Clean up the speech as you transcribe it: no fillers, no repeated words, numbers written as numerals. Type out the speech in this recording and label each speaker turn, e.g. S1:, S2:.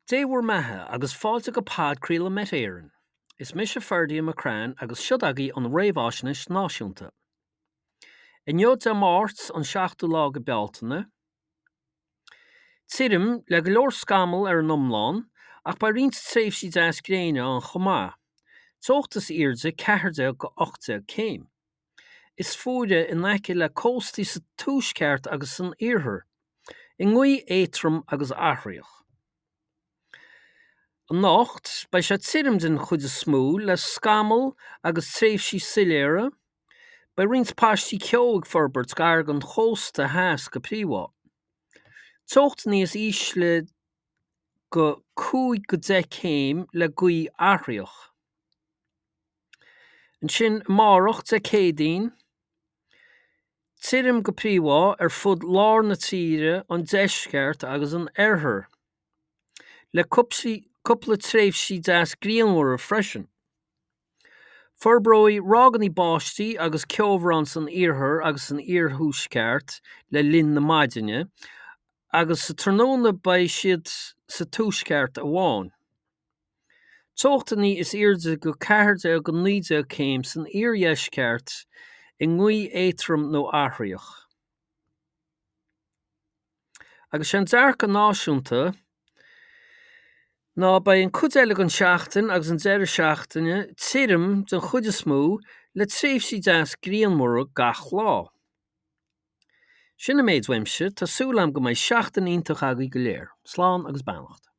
S1: Dé bhur mbeatha agus fáilte go podchraoladh Met Éireann. Is mise Ferdia McCrann agus siod agaibh an Réamhaisnéis Náisiúnta. Inniu Dé Máirt an 7ú lá go Bealtaine. Tirim, le go leor scamall ar an iomlán, ach beidh roinnt tréimhsí deas gréine ann chomh maith. Teocht is airde 14-18 céim. Is fuaire in aice le cóstaí sa tuaisceart agus san iarthar, i ngaoth éadrom agus athraitheach. Anocht, beidh sé tirim den chuid is mó, le scamaill agus tréimhsí soiléire. Beidh roinnt paistí ceo ag forbairt gar don chósta theas go príomha. Teocht níos ísle go 5-10 céim le gaoth athraitheach. Ansin amárach, Dé Céadaoin, tirim go príomha ar fud lár na tíre, an deisceart agus an oirthir, le cúpla tréimhsí deas grianmhara freisin. Forbróidh ráigeanna báistí agus ceobhrán san iarthar agus san iarthuaisceart le linn na maidine, agus sa tráthnóna beidh siad sa tuaisceart amháin. Teochtanna is airde go 14-19 céim san iardheisceart i ngaoth éadrom nó athraitheach. Agus sé an dearcadh náisiúnta ná beidh an cuid eile den seachtain agus an deireadh seachtaine tirim den chuid is mó le tréimhsí deas grianmhara gach lá. Sin an méid uaimse, tá súil agam go mbeidh seachtain iontach agaibh go léir. Slán agus beannacht.